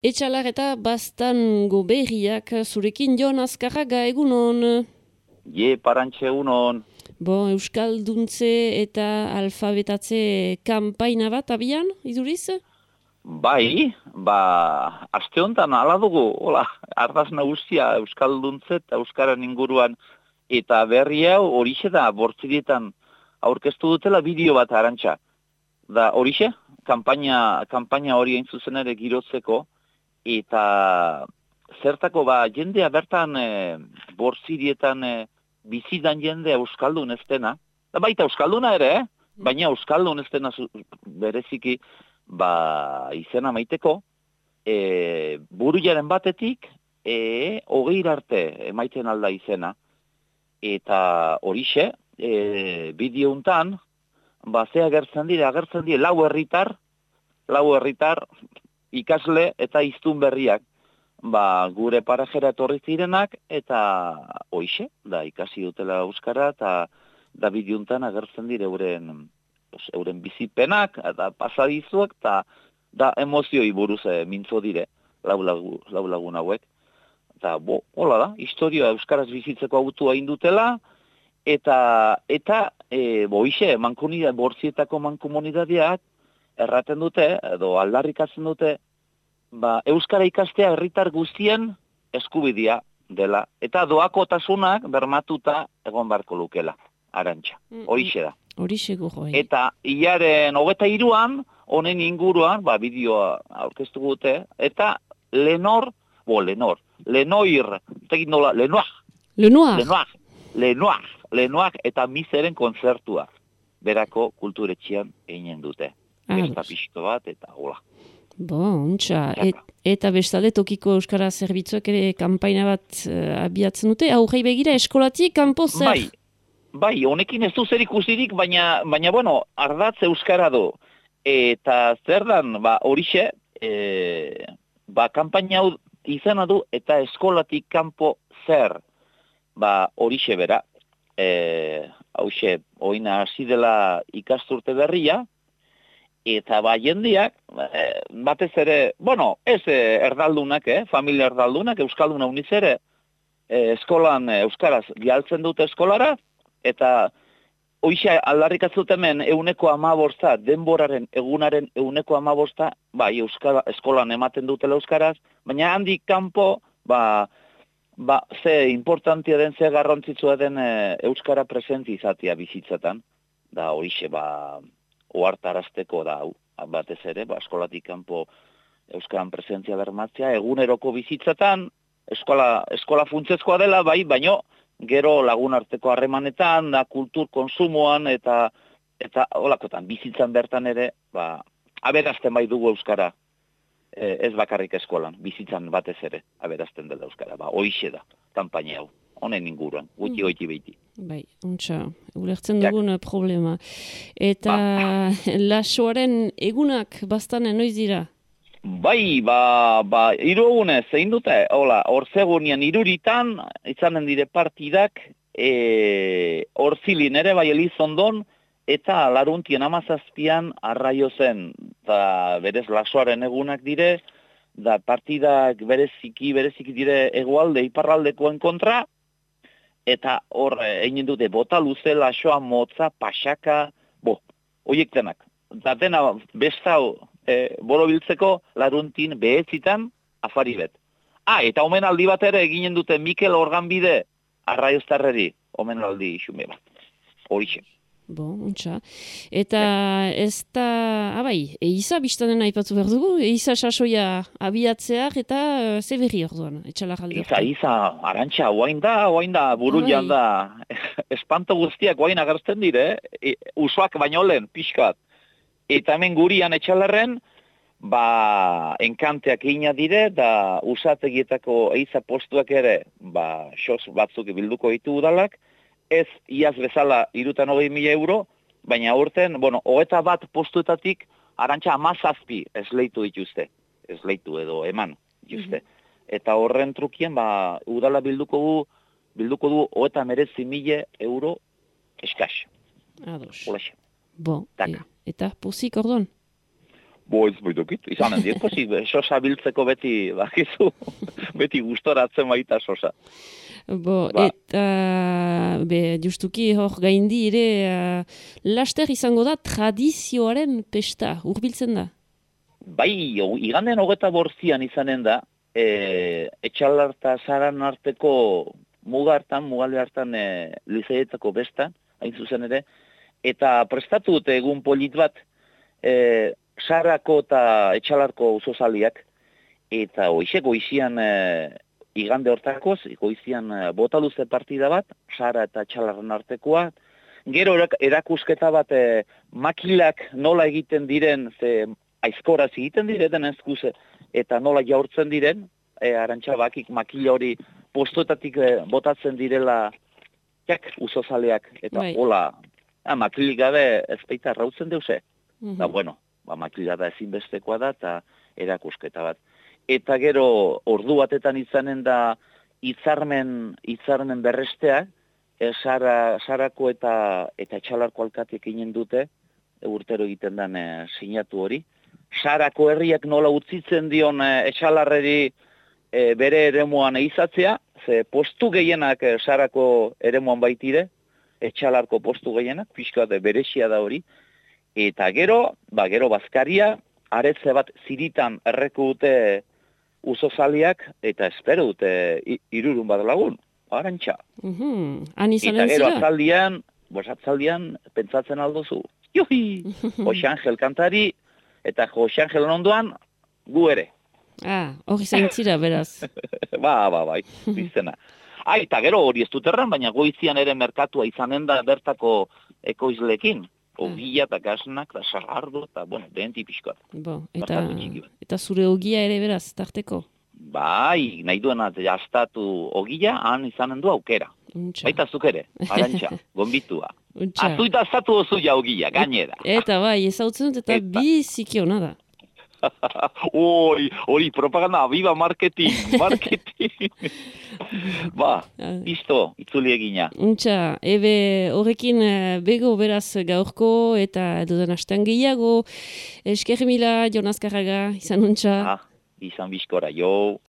Etxalar eta Baztango berriak zurekin Jon Azkarraga egunon. Parantxe unon. Euskalduntze eta alfabetatze kanpaina bat abian, iduriz? Bai, aste honetan hala dugu, hola, ardaz nagusia Euskalduntze eta Euskaran inguruan, eta berri hau horixe da, bortzirietan aurkeztu dutela bideo bat arantxa. Da horixe, kanpaina hori hain zuzen ere girotzeko, eta zertako jendea bertan bortzirietan bizidan jendea Euskaldun ez dena, da baita Euskalduna ere, baina Euskaldun ez dena bereziki, izena maiteko, burujaren batetik, 20 arte emaiten alda izena. Eta horixe, bideo hontan, ze agertzen dire 4 herritar, ikasle eta hiztun berriak, gure parajera etorri zirenak, eta horixe, da ikasi dutela euskara, eta da bideo hontan agertzen dire euren bizipenak, eta pasadizuak, eta da emozioi buruz mintzo dire, lau lagun hauek. Eta, hola da, historia euskaraz bizitzeko autua indutela, eta hoixe, bortzietako mankomunidadeak erraten dute, edo aldarrikatzen dute, euskara ikastea herritar guztien eskubidea dela, eta doakotasunak bermatuta egon beharko lukela, arantxa, horixe da. Horixe gogoi. Eta hilaren 23an, honen inguruan, bideoa aurkeztu dute, eta Lenoir, eta Miseren kontzertua, berako kulturetxean eginen dute. Besta pixko bat, eta hola. Ontsa, eta bestalde tokiko euskara zerbitzuak ere kanpaina bat abiatzen dute, aurrei begira eskolatik kanpo zer? Bai, honekin ez du zer ikusirik, baina ardatz euskara du. Eta zer dan, horixe, kanpaina hau izena du, eta eskolatik kanpo zer, horixe bera. Hauxe, oina hasi dela ikasturte berria, eta jendeak, batez ere, ez erdaldunak, familia erdaldunak, euskalduna uniz ere, eskolan euskaraz gialtzen dute eskolara, eta hoixe aldarrikatzut hemen 15%, denboraren egunaren 15%, eskolan ematen dutela euskaraz, baina handik kanpo, ze importantia den, ze garrantzitsua den euskara presenti izatea bizitzetan, da hoixe, ohartarazteko da, batez ere, eskolatik kanpo euskaran presentzia bermatzea, eguneroko bizitzetan, eskola funtsezkoa dela, baino, gero lagun arteko harremanetan, da kultur konsumoan, eta holakotan, bizitzan bertan ere, aberazten bai dugu euskara, ez bakarrik eskolan, bizitzan batez ere, aberazten dela euskara, hoixe da, kanpaina hau, honen inguruan, goiti behiti. Bai, ontsa, ulertzen dugun problema. Eta lasoaren egunak Baztanen noiz dira? Bai, 3 egunez, zein dute, orzegunian 3 izanen dire partidak, Orzilin ere Elizondon, eta Laruntien 17an Arraio zen, eta berez lasoaren egunak dire, da partidak bereziki dire hegoalde, iparraldekoen kontra, eta hor egin dute bota luze, lasoa, motza, pasaka, horiek denak. Da dena bestau borobiltzeko Laruntin behetzitan afari bet. Eta omenaldi bat ere eginen dute Mikel Organbide Arraioztarreri, omenaldi xume bat. Horixe. Ontsa. Eta ez da, eiza biztanen aipatu behar dugu, eiza sasoia abiatzeak eta ze berri orduan, etxalar alde. Eiza, arantxa, oain da, buru da, espanto guztiak oain agertzen dire, usoak baino lehen, pixkat. Eta hemen gurian etxalarren, enkanteak egina dire, da usategietako eiza postuak ere, sos batzuk bilduko ditu udalak, ez iaz bezala 320.000 euro, baina urten, 21 postuetatik, arantxa 17 esleitu dituzte, esleitu edo eman dituzte. Eta horren trukien, udala bilduko du 39.000 euro eskas. Ados. Olaxe. Eta pozik orduan? Ez boidokit, izanen dien, sosa biltzeko beti, bakizu, beti gustoratzen baita sosa. Eta justuki hor gaindi ere laster izango da tradizioaren pesta, hurbiltzen da? Bai, iganden 24 izanen da, Etxalarta Zaran arteko mugalde hartan lizeetako besta, hain zuzen ere, eta prestatu dute egun polit bat, Sarako eta Etxalarko uzozaliak, eta goizian igande hortakoz, goizian botaluze partida bat, Sara eta Etxalarren artekoa, gero erakusketa bat makilak nola egiten diren, ze aizkoraz egiten diren ezkuze, eta nola jaurtzen diren, arantxabakik makila hori postoetatik botatzen direla uzozaleak, eta hola, makilik gabe ez baita rautzen deuze. Da, bueno, makila da ezinbestekoa da, eta erakusketa bat. Eta gero, ordu batetan izanen da hitzarmen berrestea, Sarako eta Etxalarko alkatek inen dute, urtero egiten den sinatu hori. Sarako herriak nola utzitzen dion Etxalarreri bere eremuan eizatzea, ze postu gehienak Sarako eremuan baitire, Etxalarko postu gehienak, pixka berexia da hori, eta gero bazkaria, aretze bat ziritan erreko dute uzozaliak, eta espero dute 3 bat lagun, arantxa. Eta gero atzaldian, pentsatzen aldozu, juhi, Jose Angel kantari, eta Jose Angel ondoan, gu ere. Hori zaintzira, beraz. Bai, bizena. Eta gero hori ez duterran, baina goizian ere merkatua izanen da bertako ekoizlekin. Ogia eta gasnak, eta sagardo, eta, denti pixkoat. Eta zure ogia ere beraz, tarteko? Bai, nahi duena, jaztatu ogia, han izanen du aukera. Baita zuk ere, arantxa, gombitua. Azuita aztatu ozu ja ogia, gainera. Eta bai, ezautzen dut, eta biziki hona da. Hori, propaganda, viva marketing. Isto, itzuli egina. Horrekin bego beraz gaurko, eta dudan hastean gehiago. Esker mila, Jon Azkarraga, izan untxa. Izan bizkora, jo.